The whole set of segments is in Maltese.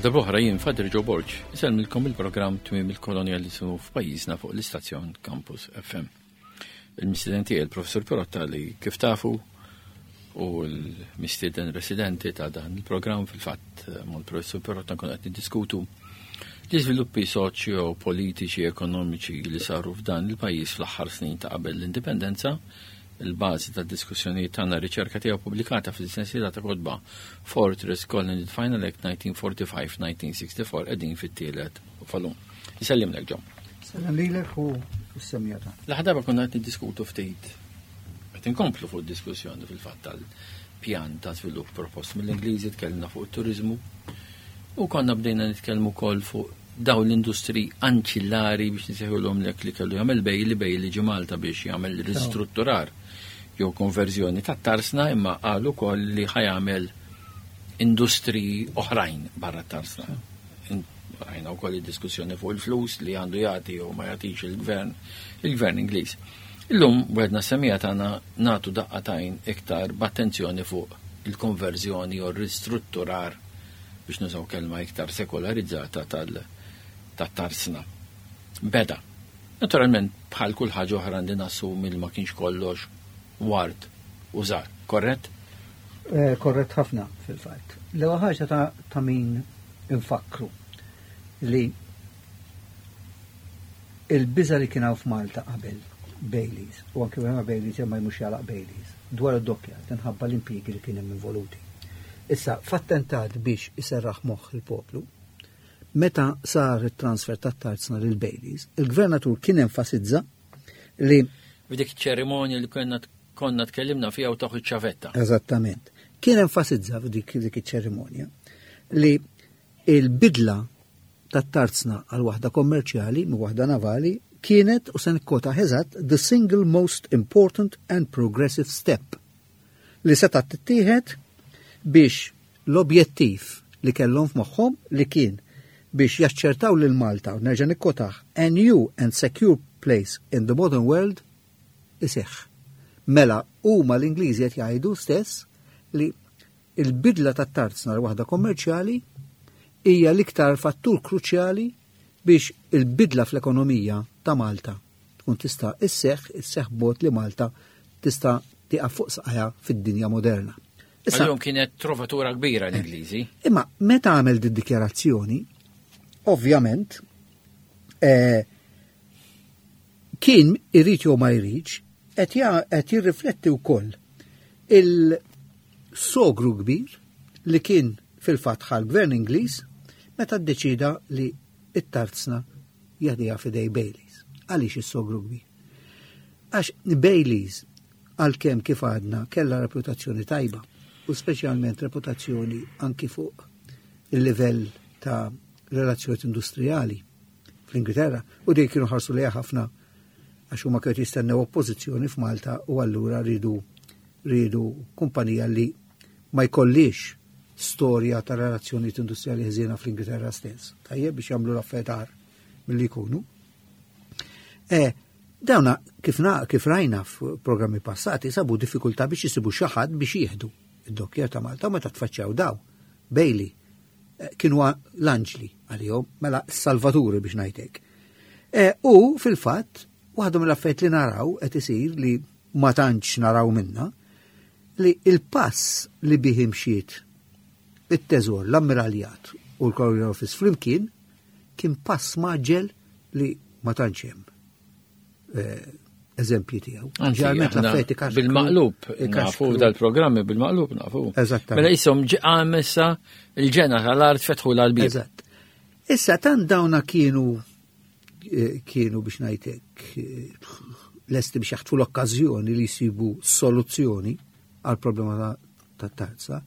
darb'oħra jien Father Joe Borg, isellmilkom il-programm Tmiem il-Kolonjaliżmu f'pajjiżna fuq l-istazzjon Campus FM. Il-mistieden tiegħi il-Professur Pirotta li kif tafu u l-mistieden residenti ta' dan il-programm fil-fatt eh, mal-Professur Pirotta nkun qed niddiskutu l-iżviluppi soċjo, politiċi, ekonomiċi li saru f'dan il-pajjiż fl-aħħar snin ta' qabel l-indipendenza Il-bażi tad-diskussjonijiet tagħna riċerka tiegħu pubblikata fil-sensiela ta' kotba Fortress Colony the Final Act 1945-1964 qegħdin fit-tielet volum. Isellimlek ġo. Sellem lilek u s-semija ta' L-aħħar darba konna qed niddiskutu ftit qed inkomplu fuq diskussjoni fil-fatt tal-pjan ta' żvilupp propost mill-Ingliżi tkellimna fuq it-turiżmu u konna bdejna nitkellmu wkoll fuq dawn l-industri anċillari biex nsejħulhom lek li kellu jagħmel Bailey, Bailey ġie Malta biex jagħmel ristrutturar jew konverżjoni tat-tarsna imma qal ukoll li ħa jagħmel industri oħrajn barra t-tarsna. Rajna wkoll id-diskussjoni fuq il-flus li għandu jagħti jew ma jagħtix il-gvern, il-gvern Ingliż. Illum wedna semija tagħna nagħtu daqqa tajn iktar b'attenzjoni fuq il-konverżjoni jew ristrutturar biex nużaw kelma iktar sekolarizzata tal-tarsna. Beda. Naturalment, bħal kull ħaġa oħra għandi nassumi li ma kienx kollox ward u żgħar, korrett? Eh, korrett ħafna fil-fatt. L-ewwel ħaġa ta', ta min infakkru li il-biża li kien hawn f'Malta qabel Baileys, u anke ma Baileys imma mhux jalaq Baileys, dwar id-doppja tinħabba l-impjiegi li kien hemm involuti. Issa, f'attentat biex iserraħ moħħ il-poplu, meta sar it-transfer tat-tarzna lil Baileys, il-gvernatur kien enfasizza li F'dik ċerimonja li konna konna tkellimna fiha u taħu ċavetta. Eżattament. Kien enfasizza f'dik dik iċ-ċerimonja li il-bidla tat-tarzna għal waħda kommerċjali minn waħda navali kienet u se nikkota eżatt the single most important and progressive step li setgħet tittieħed biex l-objettiv li kellhom f'moħħhom li kien biex jaċċertaw lil Malta u nerġa' nikkotah a new and secure place in the modern world iseħħ. Mela huma l-Ingliżi qed jgħidu stess li il-bidla tat-tarzna għal waħda kommerċjali hija l-iktar fattur kruċjali biex il-bidla fl-ekonomija ta' Malta tkun tista' isseħħ, isseħħ b'mod li Malta tista' tieqaf fuq saqajha fid-dinja moderna. Issa kienet trovatura kbira l-Ingliżi. Imma meta għamel di dikjarazzjoni, ovvjament, eh, kien irid jew ma jridx, qed jirrifletti wkoll il-sogru kbir li kien fil-fatt ħal gvern Ingliż meta ddeċida li it-tarzna jagħtiha f'idej Baileys. Għaliex is-sogru kbir? Għax Baileys għalkemm kif għadna kellha reputazzjoni tajba u speċjalment reputazzjoni anki fuq il-livell ta' relazzjonijiet industrijali fl-Ingilterra u dej kienu ħarsu lejha ħafna għax huma kienu jistennew oppożizzjoni f'Malta u allura ridu ridu kumpanija li ma jkollix storja ta' relazzjonijiet industrijali ħżiena fl-Ingilterra stess. Tajjeb biex jagħmlu l-affarijiet milli jkunu. E, dawna kif, na, kif rajna f'programmi passati sabu diffikultà biex jisibu xi ħadd biex jieħdu id-dokkjer ta' Malta meta tfaċċjaw daw. Bailey eh, kienu l-anġli għalihom, mela s-salvaturi biex ngħidlek. E, u fil-fatt, waħda mill-affarijiet li naraw qed isir li ma tantx naraw minna, li il-pass li bih imxiet it-teżor, l-ammiraljat u l-Colonial Office flimkien kien pass maġġel li ma tantx hemm eh, eżempji tiegħu. Ġeneralment l-affetti Bil-maqlub, nafu dal-programmi bil-maqlub nafu. Eżattament. Mela jisom ġeqam issa il-ġena tal-art fetħu l-albib. Eżatt. Issa tant dawna kienu eh, kienu biex ngħidlek eh, lesti biex jaħtfu l-okkażjoni li jsibu soluzzjoni għal problema ta' tarza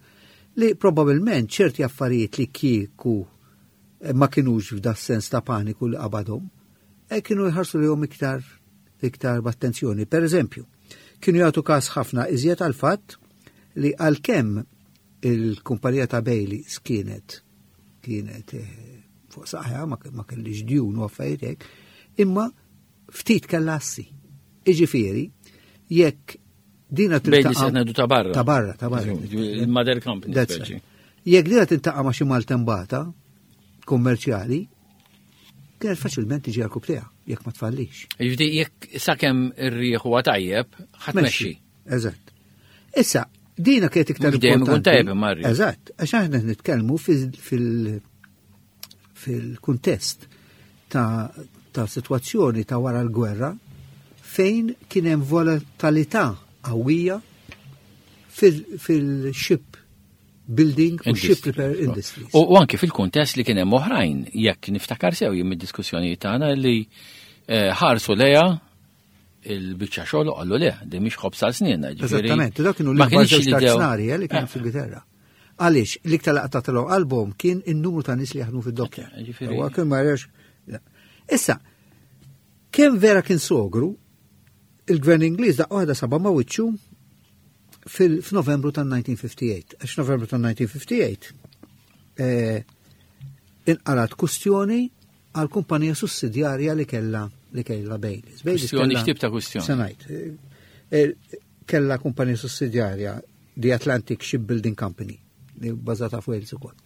li probabilment ċerti affarijiet li kieku eh, ma kienux f'da sens ta' paniku li qabadhom, kienu jħarsu li iktar iktar b'attenzjoni. Per eżempju, kienu jagħtu każ ħafna iżjed għal fatt li għalkemm il-kumpanija ta' Bailey kienet kienet eh, fuq saħħa ma kellix djun u affarijiet hekk, imma ftit kellha assi. Iġifieri, jekk dina tiltaqa' ta' barra. Ta' barra, ta' barra. Il-mother company. Jekk dina tiltaqa' ma' xi maltembata. kummerċjali kienet faċilment tiġi għal kubtejha jekk ma tfallix. Jiġifieri jekk sakemm ir-rieħ huwa tajjeb, ħadd mexxi. Eżatt. Issa, dina kienet iktar dejjem ikun tajjeb imma rrieħ. Eżatt, għax aħna nitkellmu fil-kuntest ta' ta' situazzjoni ta' wara l-gwerra fejn kien hemm volatilità qawwija fil-ship building u ship repair industries. U anki fil-kuntest li kien hemm oħrajn, jekk niftakar sew jien mid-diskussjonijiet tagħna li eh, ħarsu leja il-biċċa xogħol u qallu le, di mhix ħobż għal snin. Eżattament, dak kienu l-ikbar żewġ tarznari eh, li kienu eh. fil-Giterra. Għaliex, l-iktar laqta tal qalbhom kien in-numru ta' nies li jaħdmu fid-dokkja. Kien ma Issa, kemm vera kien sogru, il-gvern Ingliż daqqa waħda saba ma' wiċċu fil-Novembru tan-1958. Għax Novembru tan-1958 eh, inqarat kustjoni għal kumpanija sussidjarja li kella li kella Baileys. Kustjoni x'tip ta' kustjoni? Sanajt. Eh, eh, kella kumpanija sussidjarja The Atlantic Shipbuilding Company li bbażata fuq ukoll.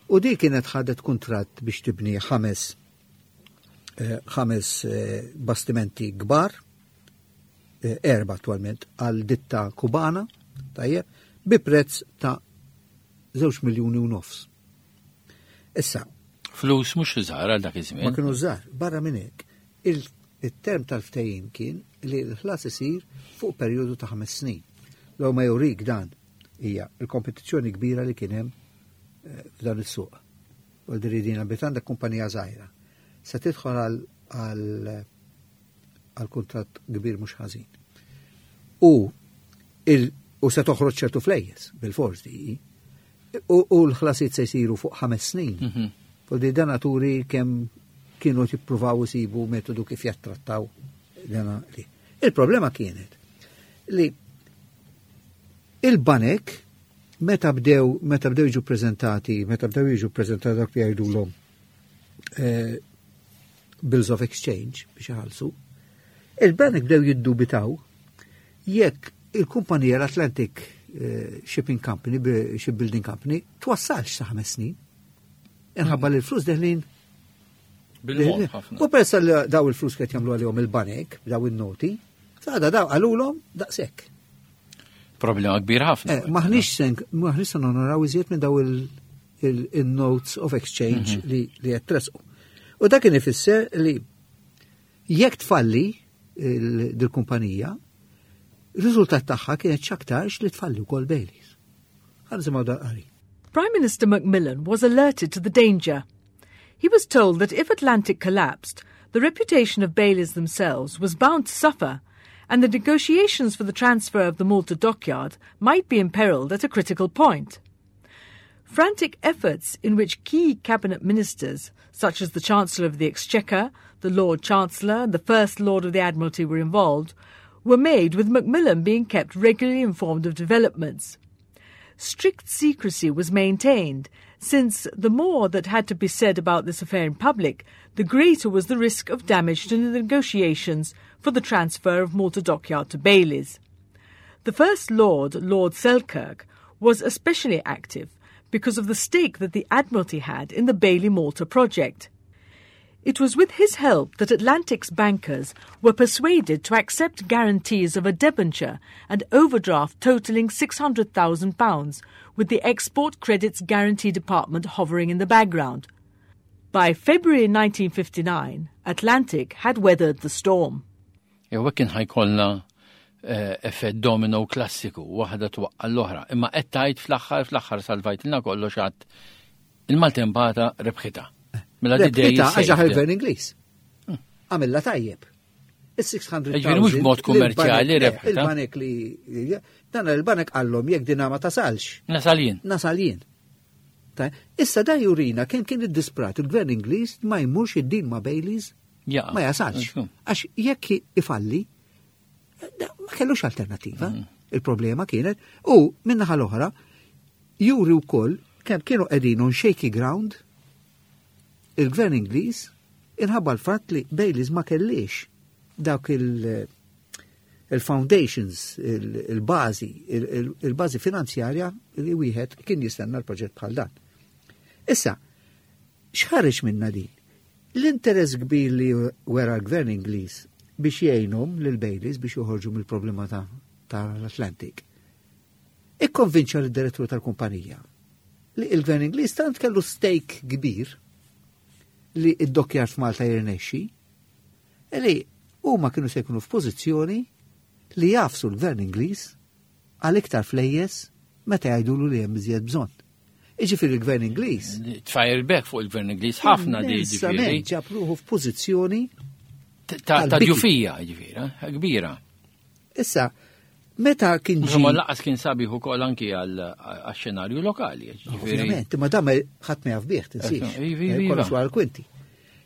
U di kienet ħadet kuntratt biex tibni ħames eh, ħames eh, bastimenti kbar, eh, erba attualment, għal ditta kubana, tajjeb, bi prezz ta' 2 miljuni u nofs. Issa. Flus mhux żgħar għal dak iż-żmien. Ma kienu żgħar, barra minn hekk, il-term tal-ftehim kien li l-ħlas isir fuq perjodu ta' ħames snin. Law ma jurik dan hija l-kompetizzjoni kbira li kien hemm f'dan is-suq. U l-diridina bit għandek kumpanija żgħira. Se tidħol għal għal kuntratt kbir mhux ħażin. U il u se toħroġ ċertu flejjes bil-fors di. U, u l-ħlasijiet se jsiru fuq ħames snin. Mm -hmm. U di dan turi kemm kienu jippruvaw isibu metodu kif jattrattaw dana li. Il-problema kienet li il-banek meta bdew meta bdew jiġu preżentati, meta bdew jiġu preżentati dak li jgħidulhom eh, bills of exchange biex iħallsu, il-banek bdew jiddubitaw jekk il-kumpanija l-Atlantic eh, Shipping Company, Shipbuilding Company, twassalx sa ħames snin. Inħabba li l-flus deħlin U peress li daw il-flus qed jagħmlu għalihom il-banek, daw il-noti, sada daw qalulhom daqshekk. Problema kbir ħafna. Eh, maħniex sen, maħniex sen onoraw iżjed minn daw il-notes of exchange mhm. li qed tresqu. U dak kien ifisser li jekk tfalli dil-kumpanija, il-riżultat tagħha kienet x'aktarx li tfalli wkoll Baileys. Ħa nisimgħu dal-qari. Prime Minister Macmillan was alerted to the danger. He was told that if Atlantic collapsed, the reputation of Baileys themselves was bound to suffer, and the negotiations for the transfer of the Malta dockyard might be imperiled at a critical point. Frantic efforts in which key cabinet ministers, such as the Chancellor of the Exchequer, the Lord Chancellor, and the First Lord of the Admiralty were involved, were made with Macmillan being kept regularly informed of developments. Strict secrecy was maintained, since the more that had to be said about this affair in public, the greater was the risk of damage to the negotiations for the transfer of Malta Dockyard to Baileys. The First Lord, Lord Selkirk, was especially active because of the stake that the Admiralty had in the Bailey Malta project. It was with his help that Atlantic's bankers were persuaded to accept guarantees of a debenture and overdraft totaling £600,000, with the Export Credits Guarantee Department hovering in the background. By February 1959, Atlantic had weathered the storm. Jew hekk kien ħajkollna eh, effett domino klassiku, waħda twaqqa l-oħra. Imma qed tgħid fl-aħħar fl-aħħar salvajtilna kollox għad il-maltempata rebħita. Mela rebħita għax il-gvern Ingliż. Hmm. Għamilla tajjeb. Is-600. Ġifieri mhux mod kummerċjali rebħita. Il-banek li dan il-banek qallhom jekk dina ma tasalx. Nasal jien. Nasal jien. Issa dan jurina kemm kien iddisprat il-gvern Ingliż ma jmurx id-din ma' Baileys ma jasalx. Għax jekk ifalli, ma kellux alternativa. Mm. Il-problema kienet, u minnaħa l-oħra, juri wkoll kemm kienu qegħdin on shaky ground il-gvern Ingliż inħabba l-fatt li Baileys ma kellix dawk il- il-foundations, il-bazi, il-bazi finanzjarja li wieħed kien jistenna l-proġett bħal dan. Issa, X'ħareġ minna din? L-interess kbir li wera l-gvern Ingliż biex jgħinhom lil Baileys biex joħorġu mill-problema tal-Atlantic. Ikkonvinċa lid-direttur tal-kumpanija li il-gvern Ingliż tant kellu stake kbir li id-dokkjar f'Malta jirnexxi li huma kienu se jkunu f'pożizzjoni li jafsu l-gvern Ingliż għal iktar flejjes meta jgħidulu li hemm iżjed bżonn. Iġifieri l-gvern Ingliż. Tfajr back fuq il-gvern Ingliż ħafna di ġifieri. Ġab ruħu f'pożizzjoni ta' ġufija ġifieri, eh, kbira. Issa, meta kien ġi. Ma laqas kien sabiħ ukoll anki għal xenarju lokali. Ovvjament, ma dam ħadd ma jaf bih, tinsiex. Eh, kollox wara l-kwinti.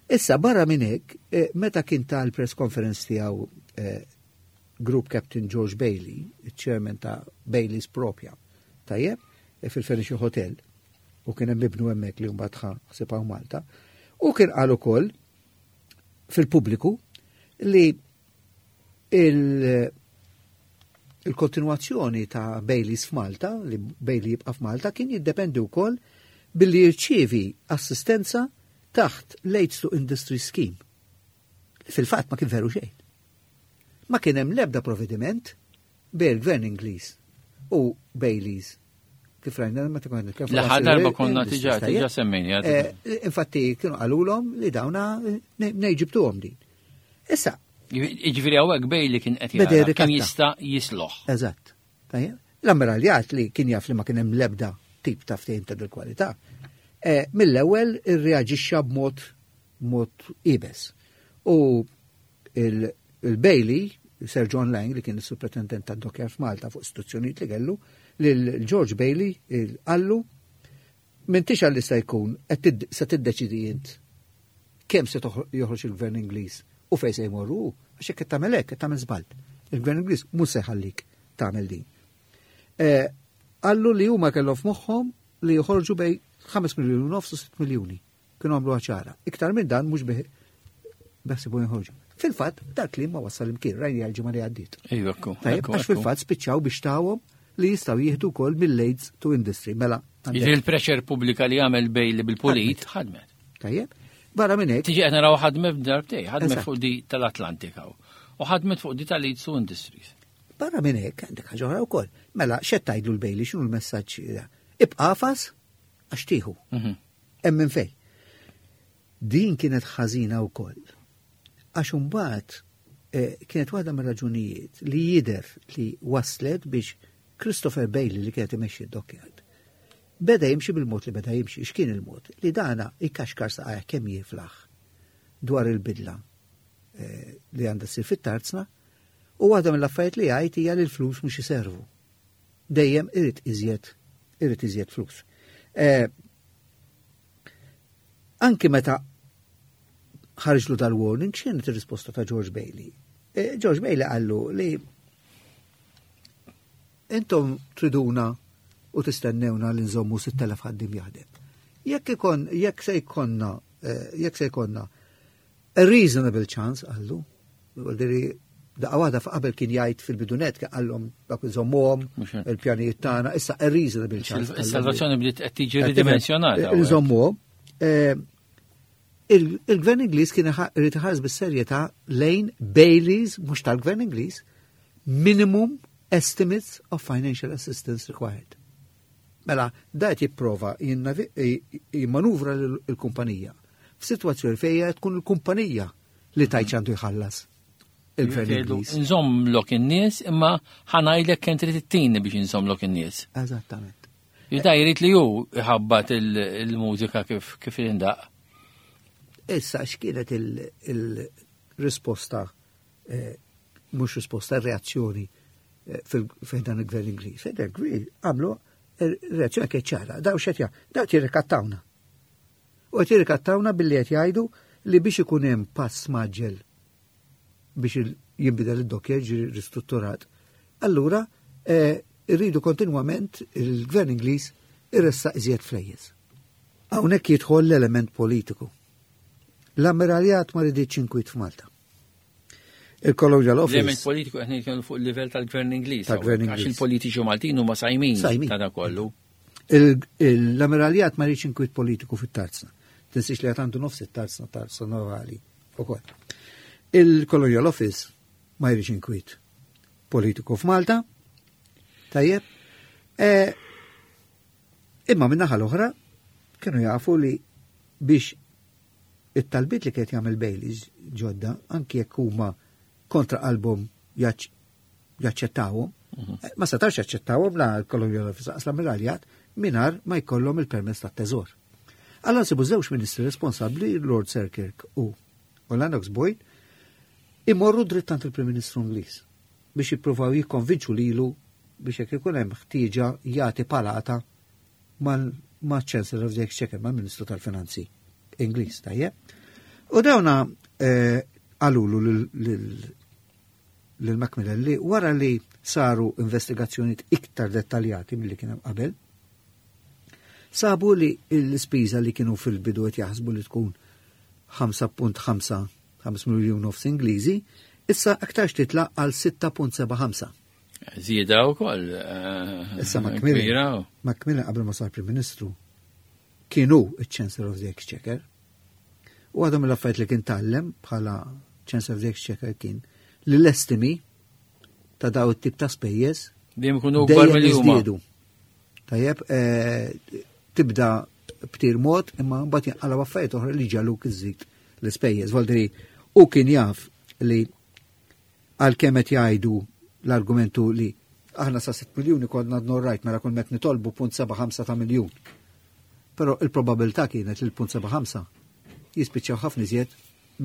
Issa barra minn hekk, eh, meta kien tal-press conference tiegħu Group Captain George Bailey, il-chairman ta' Bailey's propja, tajjeb, e fil-Fenice Hotel, u kien hemm ibnu hemmhekk li mbagħad ħa ħsieb Malta, u kien qal ukoll fil-pubbliku li il-kontinuazzjoni ta' Baileys f'Malta, li Bailey jibqa' f'Malta, kien jiddependi wkoll billi jirċievi assistenza taħt l-Aids to Industry Scheme. Fil-fatt ma kien veru xejn. Ma kien hemm l-ebda provvediment bejn il-Gvern Ingliż u Baileys kif rajna meta konna nitkellmu. L-aħħar darba konna diġà diġà semmejni. Eh, infatti kienu qalulhom li dawna nejġibtuhom din. Issa. Jiġifieri hawnhekk Bailey kien qed jara kemm jista' jisloħ. Eżatt. L-ammiraljat li kien jaf li ma kien hemm l-ebda tip ta' ftehim ta' kwalità eh, mill-ewwel irreaġixxa b'mod mod ibes. U il-Bailey, Sir John Lang, li kien il-superintendent tad dockyard f'Malta fuq istituzzjonijiet li kellu, lil George Bailey qallu m'intix għal se jkun se tiddeċidi int kemm se joħroġ il-gvern Ingliż u fejn se jmorru għax hekk qed tagħmel hekk qed tagħmel żball. Il-gvern Ingliż mhux se jħallik tagħmel din. Eh, qallu li huma kellhom f'moħħhom li joħorġu bej 5 miljuni u nofs u 6 miljuni. Kienu għamluha ċara. Iktar minn dan mhux beħsibu joħorġu. Fil-fatt, dak li ma wassal imkien, rajni għal-ġimgħa li għaddiet. Tajjeb, għax fil-fatt spiċċaw biex tawhom li jistgħu jieħdu wkoll mill-AIDS to industry. Mela. Jiġri l-pressure pubblika li għamel Bailey bil-pulit ħadmet. Tajjeb. Barra minn hekk. Tiġi qed naraw ħadmet b'darbtej, ħadmet fuq di tal-Atlantika u ħadmet fuq di tal-AIDS to Industries. Barra minn hekk għandek ħaġa oħra wkoll. Mela, x'qed tgħidlu l-Bailey x'inhu l-messaġġ? Ibqa' fas għax tieħu. Mhm. Hemm minn fejn. Din kienet ħażina wkoll. Għax imbagħad eh, kienet waħda mir-raġunijiet li jidher li waslet biex Christopher Bailey li kienet imexxi d-dockyard beda jimxi bil-mod li beda jimxi, x'kien il-mod? Li dana ikkaxkar saqajh kemm jiflaħ dwar il-bidla eh, li għandha ssir fit-tarzna u waħda mill-affarijiet li jgħid hija li l-flus mhux iservu. Dejjem irid iżjed irid iżjed flus. Eh, anki meta ħarġlu dal-warning, x'kienet ir-risposta ta' George Bailey? Eh, George Bailey qallu li intom triduna u tistennewna li nżommu 6,000 ħaddim jaħdem. Jekk ikon, jekk se jkollna, eh, jekk se jkollna A reasonable chance, qallu. Diri, daqqa waħda qabel kien jgħid fil-bidunet kien qallhom dak iżommuhom il-pjanijiet tagħna, issa a reasonable chance. Is-salvazzjoni bdiet qed tiġi ridimensjonata. Iżommuhom. Eh, il-gvern Ingliż kien irid iħares bis-serjetà lejn Baileys, mhux tal-gvern Ingliż, minimum estimates of financial assistance required. Mela, da qed jipprova jimmanuvra l-kumpanija f'sitwazzjoni fejn tkun il-kumpanija li tajt għandu jħallas il-gvern Ingliż. Nżommlok in-nies imma ħanajdlek kemm trid ittini biex inżommlok in-nies. Eżattament. Jida jrid li hu iħabbat il-mużika kif kif indaq. Issa x'kienet il-risposta eh, mhux risposta reazzjoni eh, fil dan il-gvern Ingliż. Fejn dan il-gvern għamlu eh, reazzjoni kienet ċara, daw xed daw jirrikattawna. U qed jirrikattawna billi qed jgħidu li biex ikun hemm pass maġġel biex jinbidel id-dokkja jiġi ristrutturat. Allura eh, irridu kontinwament il-gvern Ingliż irressaq iżjed flejjes. Hawnhekk jidħol l-element politiku. L-ammiraljat ma riditx inkwiet f'Malta. Il-Colonial Office. L-element politiku qed nitkellmu fuq il-livell tal-Gvern Ingliż. Tal-Gvern Ingliż. Għax il-politiċi Maltin huma sajmin ta' da kollu. L-ammiraljat ma rridx inkwiet politiku fit-tarzna. Tinsiex li għandu nofs it-tarzna tarzna navali ukoll. Il-Colonial Office ma jridx inkwiet politiku f'Malta. Tajjeb. E, imma min-naħa l-oħra kienu jafu li biex it-talbiet li kienet jagħmel Baileys ġodda, anki jekk huma kontra qalbhom jaċċettawhom, ma setax jaċċettawhom la l-Colonial Office lanqas l-Ammiraljat mingħajr ma jkollhom il-permess tat-teżor. Allora nsibu żewġ ministri responsabbli, Lord Selkirk u Lennox Boyd, imorru dritt għand il-Prim Ministru Ingliż biex jippruvaw jikkonvinċu lilu biex jekk ikun hemm ħtieġa jagħti palata ma' Chancellor of the Exchequer, mal-Ministru tal-Finanzi Ingliż, tajjeb. U dawna qalulu lil Macmillan li wara li saru investigazzjonijiet iktar dettaljati milli kien hemm qabel, sabu li l-ispiża li kienu fil-bidu qed jaħsbu li tkun 5.5 5 miljun nofs Ingliżi, issa aktarx titla' għal 6.75. Żieda wkoll. Issa Macmillan, Macmillan qabel ma sar Prim Ministru kienu il-Chancellor of the Exchequer. U għadhom l-affarijiet li kien tgħallem bħala Chancellor of the Exchequer kien li l-estimi ta' daw it-tip ta' spejjeż dejjem ikunu kbar milli huma. Tajjeb, tibda b'tir mod imma mbagħad jinqalgħu affarijiet oħra li ġaluk iżid l-ispejjeż. Voldiri, u kien jaf li għalkemm qed jgħidu l-argumentu li aħna sa 6 miljuni konna rajt mela kull met nitolbu 0.75 ta' miljun. Però il-probabilità kienet li l-0.75 jispiċċaw ħafna iżjed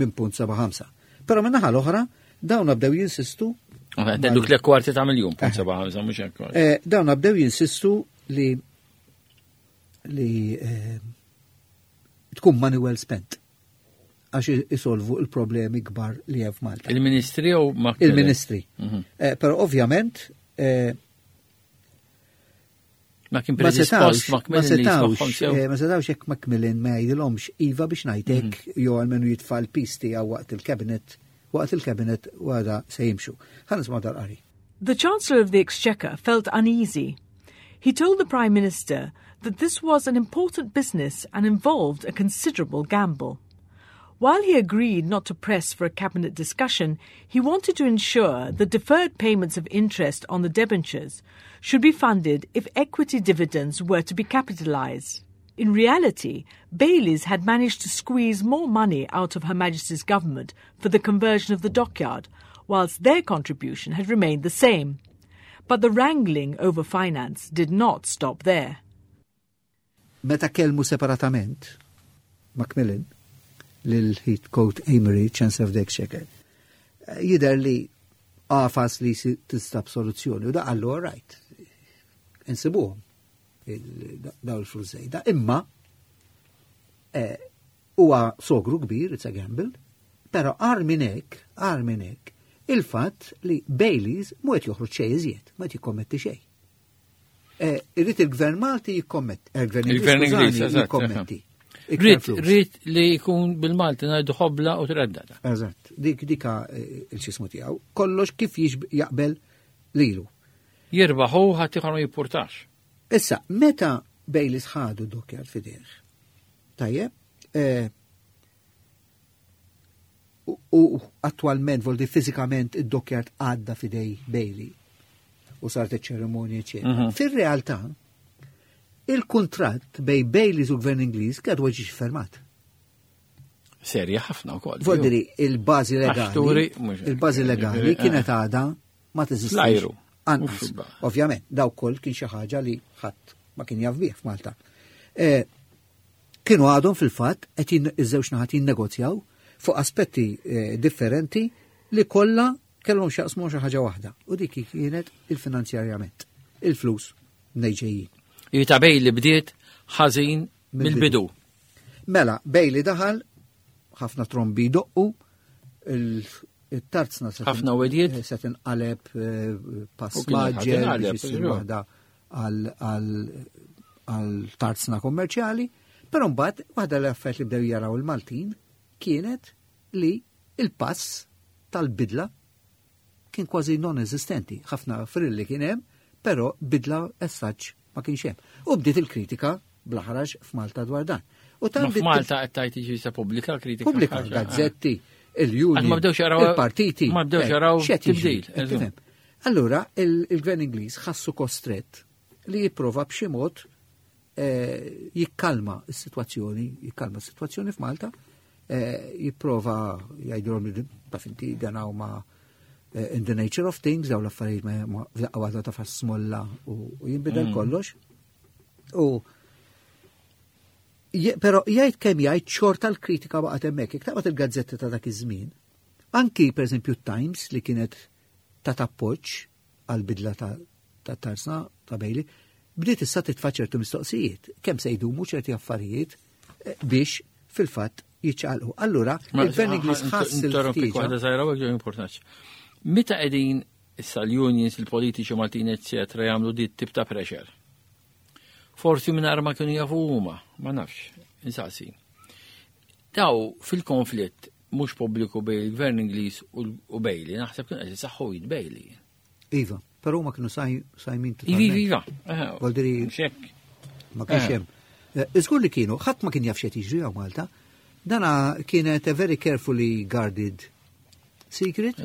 minn 0.75. Però minn naħa l-oħra dawn bdew jinsistu. Għandu tliet kwarti ta' miljun, 0.75, mhux hekk. Dawn bdew jinsistu li tkun money well spent għax isolvu il-problemi kbar li hemm f'Malta. Il-ministri jew Macmillan? Il-ministri. Però ovvjament ma kien predispost Macmillan li jismagħhom sew. Ma setawx jekk Macmillan ma jgħidilhomx iva biex ngħidlek jew għalmenu jitfa' l-piż tiegħu waqt il-cabinet, waqt il-cabinet wara se jimxu. Ħa nisma' dal-qari. The Chancellor of the Exchequer felt uneasy. He told the Prime Minister that this was an important business and involved a considerable gamble. While he agreed not to press for a cabinet discussion, he wanted to ensure that deferred payments of interest on the debentures should be funded if equity dividends were to be capitalised. In reality, Bayleys had managed to squeeze more money out of Her Majesty's government for the conversion of the dockyard, whilst their contribution had remained the same. But the wrangling over finance did not stop there. Meta kellmu separatament, Macmillan, lil Heathcote Amory, Chancellor of the Exchequer, jidher li għafas li tistab soluzzjoni u da qallu all right, insibuhom daw il-flus żejda. Imma huwa sogru kbir, it's a gamble, però agħar minn hekk, agħar minn hekk, il-fatt li Bayleys mhu qed joħroġ xejn iżjed, ma qed jikkommetti xejn. Irrid il-Gvern Malti jikkommetti, il-Gvern Il-Gvern Ingliż, Ingliż, skużani, eżatt, jikkommetti. Iktar Rrid flus. rrid li jkun bil-Malti ngħidu ħobla u treddata. Eżatt, dik dika il-xismu tiegħu, kollox kif jaqbel lilu. Jirbaħu ħadd ieħor ma jippurtax. Issa, meta Bayleys ħadu dockyard f'idejh, tajjeb, u attualment, voldi fiżikament id-dockyard għadda f'idej Bailey u saret iċ-ċerimonja, eċetera. Fir-realtà, il-kuntratt bej Bayleys u Gvern Ingliż kien għadu ġiex fermat. Serja ħafna wkoll. Voldiri, il-bażi Għax legali, turi, mhux hekk, il-bażi legali ġifieri, kienet għadha ma teżistix. Fl-ajru. Anqas. Mhux fil-baħar. Ovvjament, daw koll kien xi ħaġa li ħadd ma kien jaf bih f'Malta. Kienu għadhom fil-fatt qed iż-żewġ naħat jinnegozjaw fuq aspetti differenti li kollha kellhom x'jaqsmu xi ħaġa waħda. U dik kienet il-finanzjarjament, il-flus nejġejjin. Jita Bailey bdiet ħażin Mill-bidu. mill-bidu. Mela, Bailey daħal, ħafna trombi doqqu, il-tarzna ħafna wedijiet. se tinqaleb pass U kien ħadd maġġel inqaleb, biex issir żgur. waħda għal tarzna kommerċjali, però mbagħad waħda l-affarijiet li bdew jaraw il-Maltin kienet li il-pass tal-bidla kien kważi non-eżistenti. Ħafna frilli kien hemm, però bidla as such ma kienx hemm. U bdiet il-kritika bl-ħaraġ f'Malta dwar dan. U tant Malta qed tgħid jiġi sa pubblika kritika. Pubblika, gazzetti, il-union, il-partiti. Ma bdewx jaraw tibdil. Allura, il-gvern Ingliż ħassu kostrett li jipprova b'xi mod eh, jikkalma s-sitwazzjoni, jikkalma s-sitwazzjoni f'Malta, eh, jipprova jgħidulhom li taf inti dan huma eh, in the nature of things, daw l-affarijiet ma f'daqqa waħda ta' smolla u jinbidel kollox. U Pero jgħid kemm jgħid xorta l-kritika baqgħet hemmhekk. Jekk taqbad il-gazzetti ta' dak iż-żmien, anki pereżempju Times li kienet ta' appoġġ għal bidla ta' tarsna ta' Bailey, bdiet issa titfa' ċertu mistoqsijiet. Kemm se jdumu ċerti affarijiet eh, biex fil-fatt jiċċaqalqu. Allura, il-Gvern Ingliż ħass il-ħtieġa. Meta qegħdin issa l-unions, il-politiċi Maltin, eccetera, jagħmlu dit tip ta' pressure. Forsi mingħajr ma kienu jafu huma, ma nafx, insaqsi. Daw fil-konflitt mhux pubbliku bejn il-Gvern Ingliż u Bailey, naħseb kien qed isaħħu id Bailey. Iva, però ma kienu sajmin Iva, iva. Voldiri. Ma kienx hemm. Eh, iżgur li kienu, ħadd ma kien jaf x'qed jiġri hawn Malta. Dana kienet a very carefully guarded secret.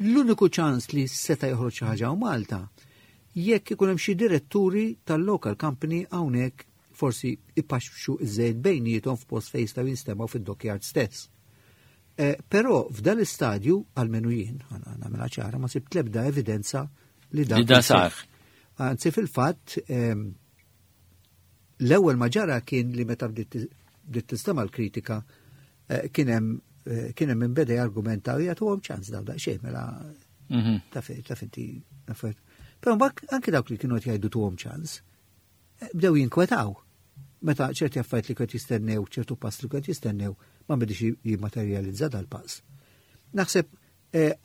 L-uniku ċans li seta' joħroġ xi ħaġa hawn Malta jekk ikun hemm xi diretturi tal-local company hawnhekk forsi ipaxxu iż-żejt bejniethom f'post fejn jistgħu jinstemgħu fid-dockyard stess. Eh, però f'dan l-istadju, għalmenu jien, nagħmilha ċara, ma sibt l-ebda evidenza li dan. Li da sar. Anzi fil-fatt, ehm, l-ewwel ma ġara kien li meta bdiet tinstema' l-kritika eh, kien hemm eh, kien hemm beda jargumenta u jagħtuhom ċans daw daqsxejn mela mhm. taf inti Però mbagħad anke dawk li kienu qed jgħidu tuhom ċans, eh, bdew jinkwetaw. Meta ċerti affarijiet li qed jistennew, ċertu pass li qed jistennew, ma bidix jimmaterjalizza dal-pass. Naħseb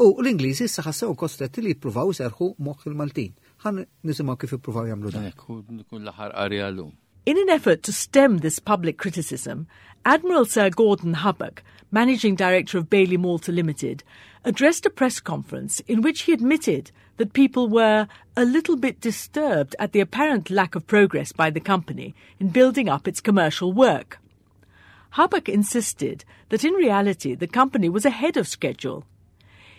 u l-Ingliżi issa ħassew kostretti li jippruvaw iserħu moħħ il-Maltin. Ħan nisimgħu kif ippruvaw jagħmlu dan. Kun l-aħħar qari għallum. In an effort to stem this public criticism, Admiral Sir Gordon Hubbock, Managing Director of Bailey Malta Limited, addressed a press conference in which he admitted that people were a little bit disturbed at the apparent lack of progress by the company in building up its commercial work. Hubbock insisted that in reality the company was ahead of schedule.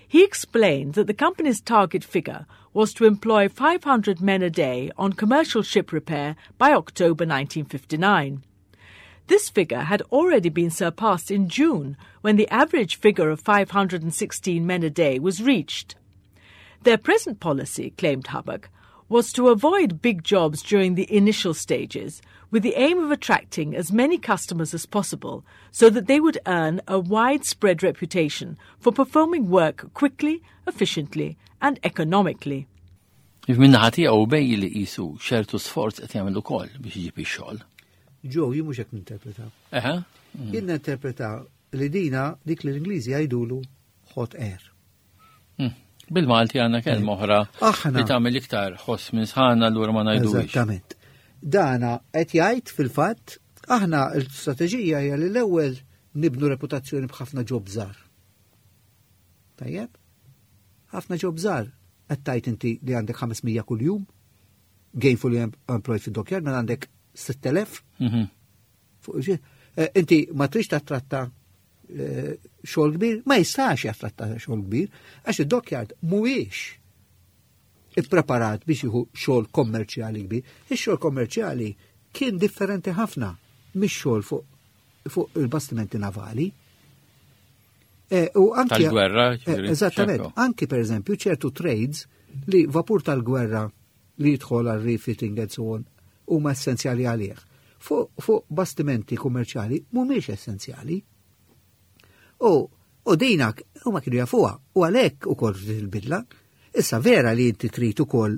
He explained that the company's target figure was to employ 500 men a day on commercial ship repair by October 1959. This figure had already been surpassed in June when the average figure of 516 men a day was reached. Their present policy, claimed Hubbock, was to avoid big jobs during the initial stages with the aim of attracting as many customers as possible so that they would earn a widespread reputation for performing work quickly, efficiently and economically. Min-naħa tiegħu Bailey qisu ċertu sforz qed jagħmel ukoll biex iġib ix-xogħol. Ġo, jien mhux hekk ninterpreta. Eħe. Jien ninterpreta li dina dik li l-Ingliżi jgħidulu hot air. Hmm. Bil-Malti għandna kelma oħra li tagħmel iktar ħoss minn sħana allura ma ngħidux. Eżattament. Dana qed jgħid fil-fatt aħna l-istrateġija hija li l-ewwel nibnu reputazzjoni b'ħafna job żgħar. Tajjeb? Ħafna job żgħar qed tgħid inti li għandek 500 kuljum, gainfully employed fid-dockyard, mela għandek 6000. Eh, inti ma trix tattratta eh, xogħol kbir, ma jistax jattratta xogħol kbir, għax id-dockyard mhuwiex ippreparat biex jieħu xogħol kommerċjali kbir. Ix-xogħol kommerċjali kien differenti ħafna mix-xogħol fuq fu il-bastimenti navali. E, u anki tal-gwerra, eh, eżattament, anki per eżempju ċertu trades li vapur tal-gwerra li jidħol għal refitting and so on huma essenzjali għalih. Fuq fu bastimenti kummerċjali mhumiex essenzjali. U u dinak huma kienu jafuha u għalhekk ukoll il-bidla. Issa vera li inti trid ukoll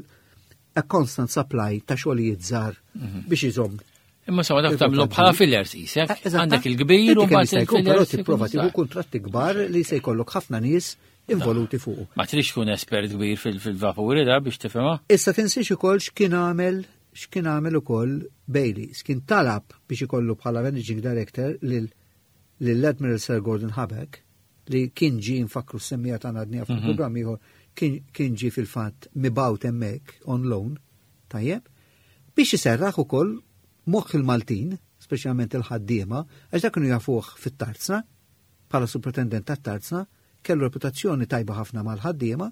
a constant supply ta' xogħlijiet żgħar mhm. biex iżomm. Imma sewa dak tagħmlu bħala fillers isek, eh, għandek il-kbir u mbagħad il-fillers. Però tipprova tieħu kuntratti kbar li se jkollok ħafna nies involuti fuq. Ma trix tkun espert kbir fil-vapuri da biex tifhimha. Issa tinsiex ukoll x'kien għamel x'kien għamel ukoll Bailey, x'kien talab biex ikollu bħala managing director lil lill-Admiral Sir Gordon Hubbock li kien ġie nfakru s-semmija ta' għadni fuq mhm. programm ieħor kien ġie fil-fatt mibgħut hemmhekk on loan, tajjeb, biex iserraħ ukoll moħħ il-Maltin, speċjalment il-ħaddiema, għax dak kienu jafuh fit-tarzna, bħala superintendent tat-tarzna, kellu reputazzjoni tajba ħafna mal-ħaddiema,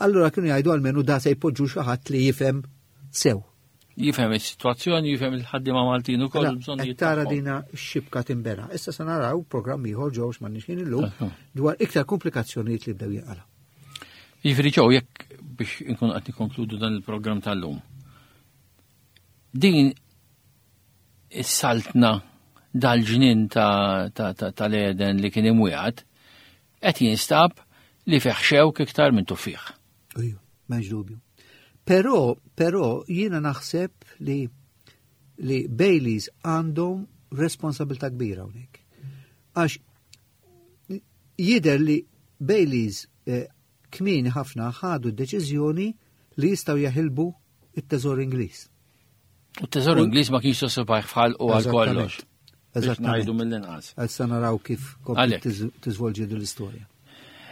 allura kienu jgħidu almenu da se jpoġġu xi ħadd li jifhem sew. Jifhem is-sitwazzjoni, jifhem il-ħaddiema Maltin ukoll mela, bżonn Tara dina x-xibka timbera. Issa se naraw programm ieħor ġew m'għandniex ħin illum dwar iktar komplikazzjonijiet li bdew jinqalgħu. Jiġifieri ġew jekk biex inkun qed nikkonkludu dan il-programm tal-lum. Din is-saltna dal-ġnien tal-Eden li kien imwiegħed qed jinstab li fih xewk iktar minn tuffieħ. Iju, m'hemmx dubju. Però, però jiena naħseb li li Baileys għandhom responsabilità kbira hawnhekk. Għax jidher li Baileys eh, kmieni ħafna ħadu d-deċiżjoni li jistgħu jaħilbu it-teżor Ingliż. U t-teżor Ingliż ma kienx sosibajh fħal u għal kollox. Eżatt. Ngħidu mill-inqas. Issa naraw kif tiżvolġi din l-istorja.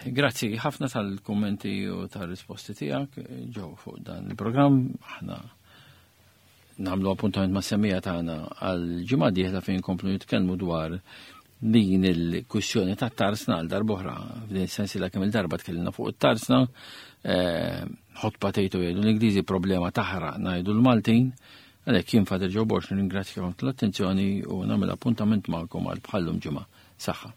Grazzi ħafna tal-kummenti u tal-risposti tiegħek ġew fuq dan il-programm. Aħna nagħmlu appuntament ma' semmija tagħna għal ġimgħa dieħla fejn komplu nitkellmu dwar din il-kwistjoni ta' tarsna għal darbohra. F'din is-sensiela kemm il-darba tkellimna fuq it-tarsna, eh, hot potato jgħidu l-Ingliżi problema taħraq ngħidu l-Maltin. Għalhekk jien Father Joe Borg nirringrazzjakom tal-attenzjoni u nagħmel appuntament magħkom għal bħallum ġimgħa. Saħħa.